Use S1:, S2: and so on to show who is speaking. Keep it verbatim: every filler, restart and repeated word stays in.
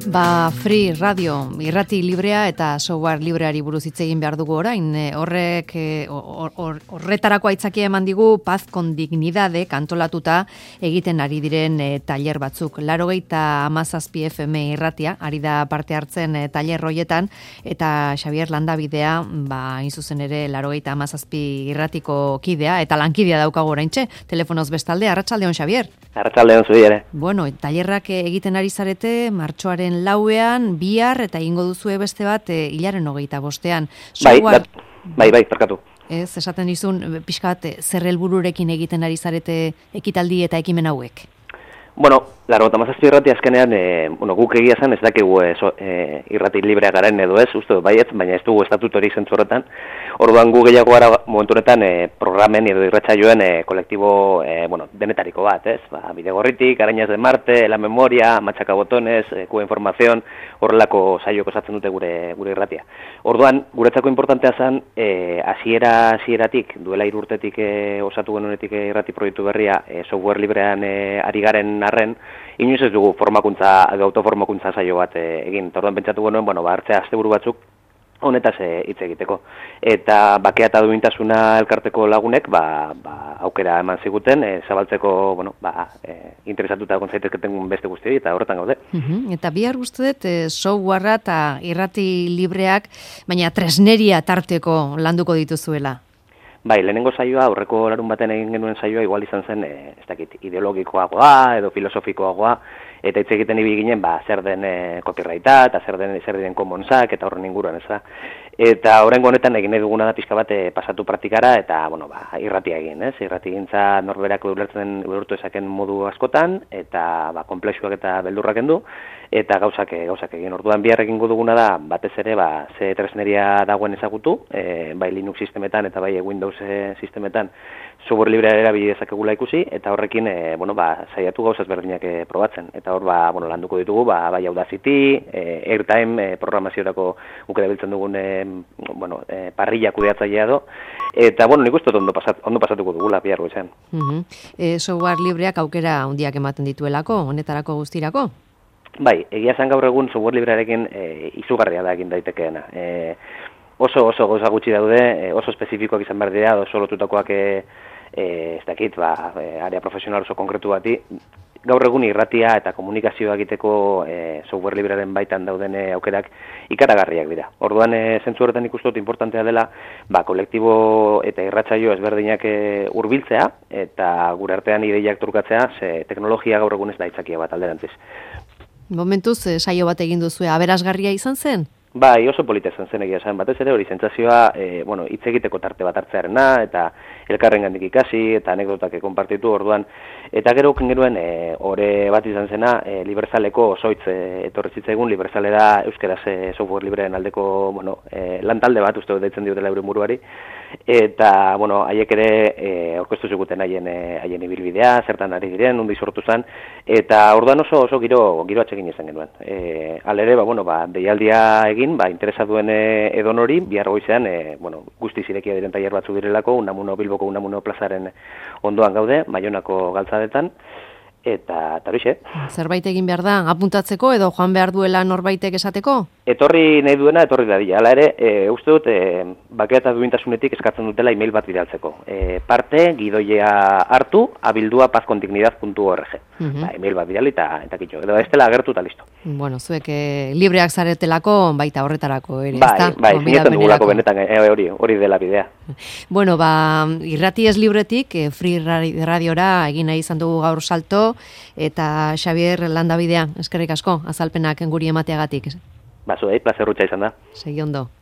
S1: Ba, Free Radio, irrati librea eta software libreari buruz hitz egin behar dugu orain. Horrek or, or, horretarako aitzakia eman digu Paz con Dignidade kantolatuta egiten ari diren e, tailer batzuk. Laurogeita hamazazpi F M irratia, ari da parte hartzen e, tailer hoietan, eta Xabier Landabidea, ba, hain zuzen ere, laurogeita hamazazpi irratiko kidea, eta lankidea daukago oraintxe, telefonoz bestalde, arratsaldeon Xabier.
S2: Arratsaldeon zuri ere.
S1: Bueno, tailerrak egiten ari zarete, martxoaren lauean, bihar, eta ingo duzue beste bat, e, hilaren hogeita bostean.
S2: Bai, bai, bai, bai, parkatu.
S1: Ez, esaten dizun, pixka bat, zer helbururekin egiten ari zarete ekitaldi eta ekimen hauek?
S2: Bueno, laurogeita hamazazpi irrati azkenean, e, bueno, guk egia zen, ez dakigu e, so, e, irrati librea garen edo ez, uste baiet, baina ez dugu estatutorik zentzu horretan. Orduan gu gehiago gara momentu honetan e, programen edo irratsaioen e, kolektibo e, bueno, denetariko bat, ez? Ba, Bidegorritik, Arañas de Marte, La Memoria, Machaca Botones, e, Cuba Información, horrelako saioak osatzen dute gure gure irratia. Orduan, guretzako importantea zen, e, hasiera hasieratik, duela hiru urtetik e, osatu genuenetik e, irrati proiektu berria, e, software librean e, ari garen arren, inoiz ez dugu formakuntza, autoformakuntza saio bat e, egin. Orduan pentsatu genuen, bueno, ba, hartzea asteburu batzuk honetaz hitz egiteko. Eta bakea eta duintasuna elkarteko lagunek ba, ba, aukera eman ziguten, e, zabaltzeko, bueno, ba, e, interesatuta egon zaitezketen beste guztioi, eta horretan gaude.
S1: Uh-huh. Eta bihar uste dut, e, softwarea eta irrati libreak, baina tresneria tarteko landuko dituzuela.
S2: Bai, lehenengo saioa, aurreko larun baten egin genuen saioa, igual izan zen, e, ez dakit, ideologikoagoa edo filosofikoagoa, eta hitz egiten ibili ginen, ba, zer den e, copyrighta, eta zer den zer diren commonsak, eta horren inguruan, ez da. Eta oraingo honetan egin nahi duguna da pixka bat e, pasatu praktikara, eta, bueno, ba, irratia egin, ez? Irrati gintza norberak ulertzen ulertu ezaken modu askotan, eta, ba, konplexuak eta beldurrak endu, eta gauzak gauzak egin. Orduan bihar egingo duguna da, batez ere, ba, ze tresneria dagoen ezagutu, e, bai Linux sistemetan eta bai Windows sistemetan software librea erabili dezakegula ikusi, eta horrekin e, bueno, ba, saiatu gauzaz berdinak e, probatzen. Eta hor ba, bueno, landuko ditugu, ba, bai Audacity, e, Airtime, e, programaziorako guk erabiltzen dugun e, bueno, e, parrilla kudeatzailea do. Eta bueno, nik uste ondo pasat, ondo pasatuko dugula bihar goizean.
S1: Uh-huh. E, software libreak aukera handiak ematen dituelako, honetarako guztirako? Bai,
S2: egia zen gaur egun software librearekin e, izugarria da egin daitekeena. E, oso oso gauza gutxi daude, e, oso espezifikoak izan behar dira, oso lotutakoak e, e, ez dakit, ba, e, area profesional oso konkretu bati. Gaur egun irratia eta komunikazioa egiteko e, software librearen baitan dauden e, aukerak ikaragarriak dira. Orduan, e, zentzu horretan ikustot importantea dela, ba, kolektibo eta irratsaio ezberdinak e, hurbiltzea eta gure artean ideiak trukatzea, ze teknologia gaur egun ez da aitzakia bat alderantziz.
S1: Momentuz, saio bat egin duzu, aberasgarria izan zen?
S2: Bai, oso polita izan zen egia zen, batez ere hori sentsazioa, e, bueno, hitz egiteko tarte bat hartzearena, eta elkarrengandik ikasi, eta anekdotak konpartitu orduan, eta gero genuen e, ore bat izan zena, e, Liberzaleko osoitz e, etorri zitzaigun, Liberzale da euskaraz e, software libreen aldeko, bueno, e, lantalde bat uste deitzen diotela euren buruari, eta, bueno, haiek ere e, aurkeztu ziguten haien e, haien ibilbidea, zertan ari diren, undi sortu zen, eta orduan oso oso giro giro atsegin izan genuen. E, alere, ba, bueno, ba, deialdia egin, ba, interesa duen e, edonori, bihar goizean, e, bueno, guzti zirekia diren tailer batzu direlako, Unamuno Bilboko Unamuno plazaren ondoan gaude, Baionako galtzadetan, eta horixe.
S1: Zerbait egin behar da, apuntatzeko edo joan behar duela norbaitek esateko?
S2: Etorri nahi duena, etorri dadila. Hala ere, e, uste dut, e, bakea eta duintasunetik eskatzen dutela email bat bidaltzeko. E, parte, gidoia hartu, abildua paz con dignidad punto org. Uh-huh. Ba, email bat bidali eta, eta kitxo. Edo ez dela agertu eta listo.
S1: Bueno, zuek e, libreak zaretelako, baita horretarako ere,
S2: bai,
S1: ezta?
S2: Bai, zinetan dugulako benetan, e, hori, hori dela bidea.
S1: Bueno, ba, irrati ez libretik, e, Free Radiora egin nahi izan dugu gaur salto, eta Xabier Landabidea, eskerrik asko, azalpenak guri emateagatik.
S2: Ba, zuei, plazer rutsa izan da.
S1: Segi ondo.